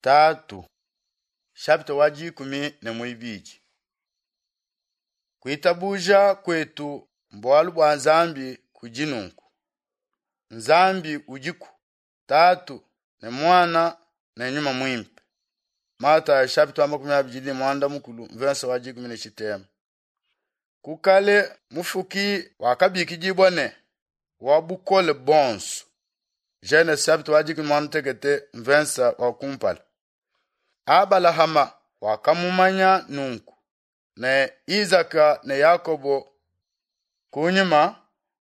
Tatu, chapitre wa dikumi ne muibidi. Kuitabuja kuetu mbualu bua Nzambi kudi nunku. Nzambi udiku, Tatu ne Muana ne Nyuma Muimpe. Matayo chapitre wa 28 verse wa 13. Ku kale mufuki wakabikidibua ne wa bukole bonso. Genese chapitre wa 18 verse wa kumpala. Abalahama wakamumanya nunku ne Izaka ne Yakobo. Kunyima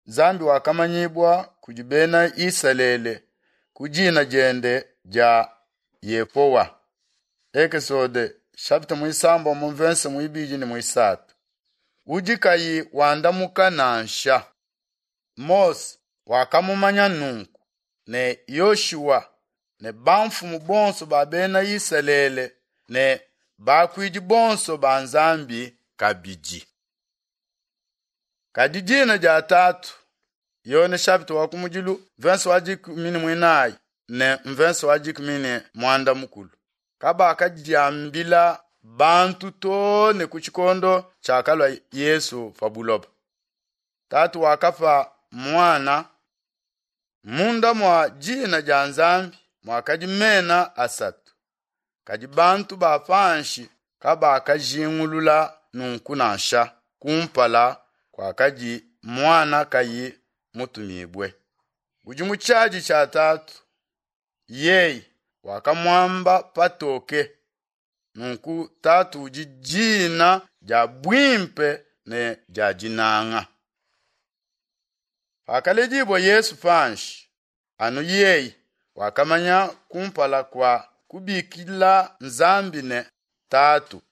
Nzambi wakamanyibua kudi bena Isalele ku dina diende dia Yehowa. Ekesode chapitre muisambombo mu verse muibidi ne muisatu. Udi kayi wandamuka nansha. Mose wakamumanya nunku ne Yoshua ne bamfumu bonso ba bena Isalele ne bakuidi bonso ba Nzambi kabidi. Kadi dina dia Tatu, Yone chapitre wa kumudilu verse wa 14 ne verse wa 13 kabakadiambila bantu too ne ku tshikondo tshiakalua Yesu pa buloba. Tatu wakapa muana munda mua dina dia Nzambi muakadi mena asatu, kadi bantu ba panshi kabakajingulula nunku nansha kumpala kuakadi muana kayi mutumibue. Udi mu tshiadi tshia Tatu, yeye wakamuamba patoke. Nunku Tatu udi dina dia buimpe ne dia dinanga. Pakaledibua Yesu panshi, anu yeye wakamanya kumpala kua kubikila Nzambi ne Tatu.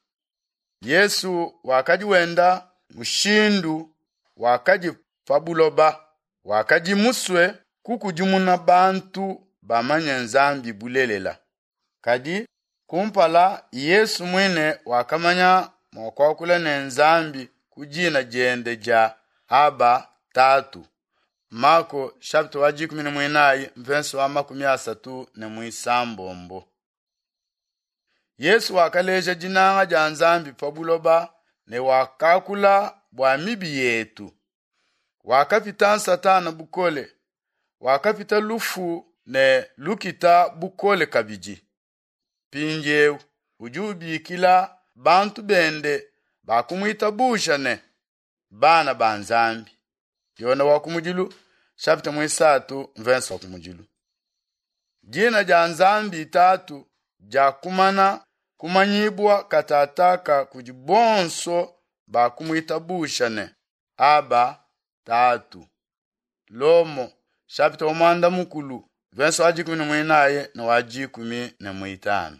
Yesu wakadi wenda mushindu wakadi pa buloba, wakadi musue kukudimuna bantu bamanye Nzambi bulelela. Kadi kumpala Yesu muine wakamanya mua kuakula ne Nzambi ku dina diende dia Aba Tatu. Marko chapitre wa 14 verse wa 36. Yesu wakaleja dinanga dia Nzambi pa buloba ne wakakula bua mibi yetu. Wakapita Satana bukole, wakapita lufu ne lukita bukole kabidi. Mpindieu udi ubikila bantu bende bakumuitabuja ne bana ba Nzambi. Yone wa kumudilu chapitre muisatu verse wa kumudilu. Dina dia Nzambi Tatu diakumana kumanyibua katataka kudi bonso bakumuitabusha ne Aba Tatu. Lomo chapitre wa muanda mukulu verse wa 14 ne wa 15.